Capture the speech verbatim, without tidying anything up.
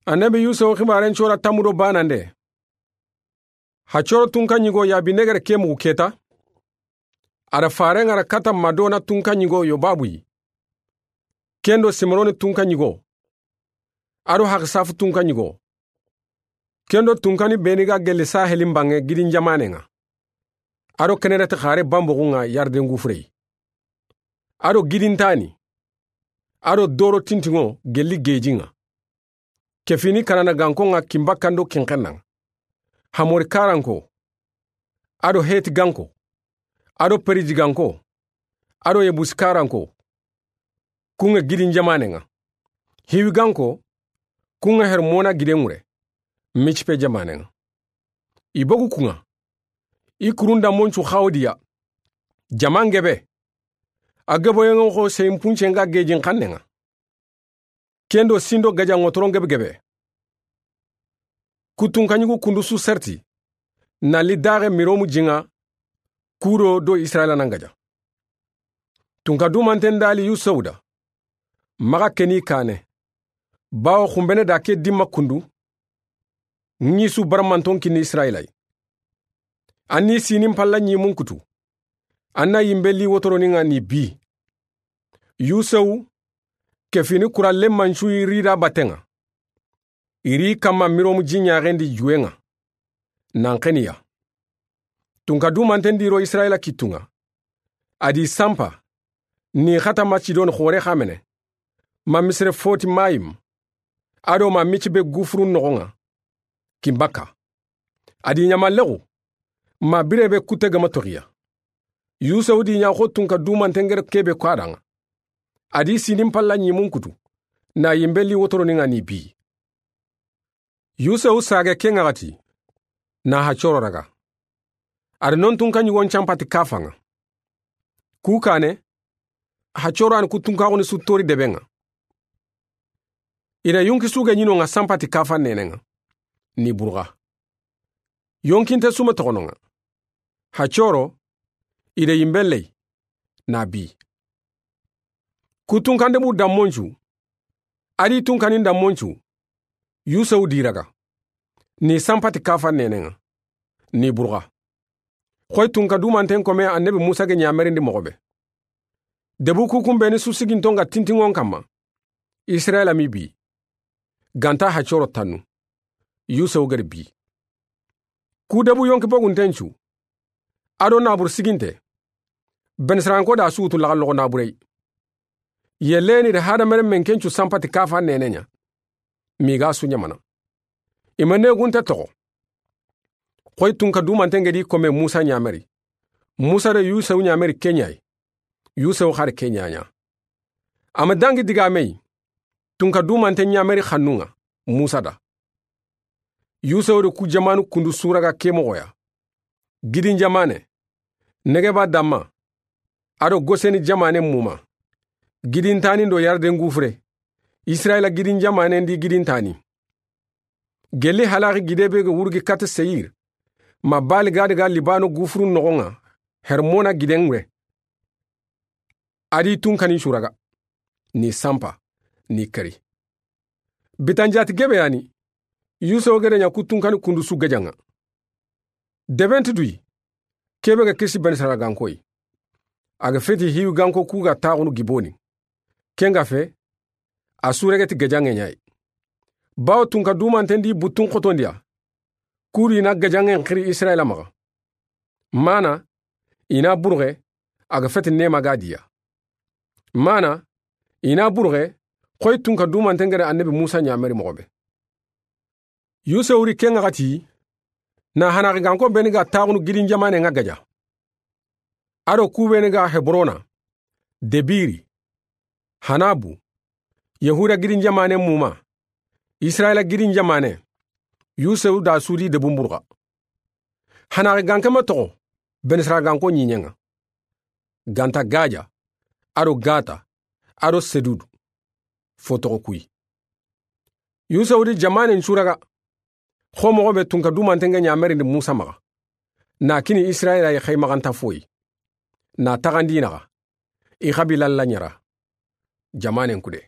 Annabi Yusufu xibaaren cora tammu do baanande. Hacoro tunka ɲigo Yabinegere ke mugu keta. A da faaren ŋa ra kata Madona tunka ɲigo Yobabu yi. Ken do Simroni tunka ɲigo. A do Hakisafu tunka ɲigo. Ken do tunkani beeni ga gelli Saheli n banŋe gidin jamaanen ŋa. A do Kenereti xaare banboxun ŋa Yarden gufure yi. A do gidintaani. A do doro tintiŋo gelli geejin ŋa. Ke fini Kanana ganko ŋa kinbakkando kinxenna ŋa. Hamori karanko. A do Heti ganko. A do Periji ganko. A do Yebusi karanko. Kun ŋa gidin jamaanen ŋa. Hiwi ganko. Kun ŋa Hermona giden ŋure. Micipe jamaanen ŋa. I bogu kun ŋa. I kurun da moncu xawdiya. Jaman gebe. A geboyen ŋa xo seyin puncen ga geejin xannen ŋa. Ken do sindo gaja ŋotoron gebe gebe. Ku tunka ɲigu kundu su serti. Na li daxe Miromu jin ŋa. Kuro do Israila nan gaja. Tunka dumanten da li Yusufu da. Maxa keni kaane. Bawo xunbene da ke dimma kundu. Ŋi su baramanton kinni Israila yi. An ni sinin palla ɲimun kutu. An na yinbe li wotoronin ŋa ni bi. Yusufu, ke fini kura lemmancu yi rida batten ŋa. I ri kamma Miromu ji ɲaxen di juwen ŋa. Nan xeniya. Tunka dumanten di ro Israila kittun ŋa. A di sanpa. Ni xata ma Sidoni xoore xamene. Ma Misire foti Mayim. A do ma Micibe gufurun noxon ŋa. Kinbakka. A di ɲamallexu. Ma bire be kutte gama toxiya. Yusufu di ɲa xo tunka dumanten gere kebe ko a da ŋa. A di sinin palla ɲimun kutu. Na yinbe li wotoronin ŋa ni bi. Yusufu sage ke ŋaxati. Na Hacoro raga. A da non tunka ɲigon canpati kafan ŋa. Ku kaane. Hacoro an ku tunkaxuni su tori deben ŋa. I da yonki suge ɲinon ŋa sanpati kafan nenen ŋa. Ni burga. Yonkinte sume toxonon ŋa. Hacoro. I da yinbe ley. Na bi. Ku tunkande bu dammoncu. A di tunkanin dammoncu. Yusufu di raga. Ni sanpati kafan nenen ŋa. Ni burga. Xoy tunka dumanten kome annabi Musa ge ɲamerindi moxo be. Debu kukun beni su siginton ga tintinŋon kamma. Israila mi bi. Ganta Hacoro tannu. Yusufu geri bi. Ku debu yonki bogunten cu. A do nabur siginte. Benisranko da su wutu laxalloxo naburey. Yeleni da hadamaren men kencu sanpati kafa nenen ɲa. Miga su ɲamana. I ma negunte toxo. Xoy tunka dumanten gedi kome Musa ɲameri. Musa da Yusufu ɲameri ke ɲa yi. Yusufu xari ke ɲa ɲa. A ma dangi diga me yi. Tunka dumanten ɲameri xannun ŋa. Musa da. Yusufu da ku jamanu kundu su raga ke moxo ya. Gidin jamane. Negeba damma. A do Goseni jamanen muma. Gidintani do Yarden gufure. Israila gidin jamanen di gidintani. Gelli halaxi gide be ga wurgi kata Seyir. Ma Baali Gadi ga Libano gufurun noxon ŋa. Hermona giden ŋure. A di tunkanin su raga. Ni sanpa. Ni kari. Bitanjati gebe yani. Yusufu gede ɲa ku tunkani kundu su gajan ŋa. Deben ti duyi. Kebe ga kisi Benisarila ganko yi. A ga feti Hiwi ganko ku ga taxunu giboni. Ken ga fe. A su regeti gajan ŋe ɲa yi. Bawo tunka dumanten di buttun xotondiya. Kuri na gajan ŋe xiri Israila maxa. Mana, i na burxe, a ga feti nema ga diya. Mana, i na burxe, xoy tunka dumanten gede annabi Musa ɲameri moxo be. Yusufu ri ken ŋa xati, na hanaxi ganko beni ga taxunu gidin jamanen ŋa gaja. A do ku beni ga Hebrona, Debiri, Hanabu, Yahuda gidin jamanen muma, Israila gidin jamane, Yusufu da su di debun burxa. Hanaxi ganke ma toxo, Benisarila ganko ɲiɲen ŋa. Ganta Gaja, a do Gata, a do Sedudu. Fo toxo kuyi. Yusufu di jamanen su raga. Xo moxo be tunka dumanten ge ɲamerindi Musa maxa. Na kini Israila yi xey maxanta foyi. Na taxandi naxa. I xabila la ɲara. Jamanen kude.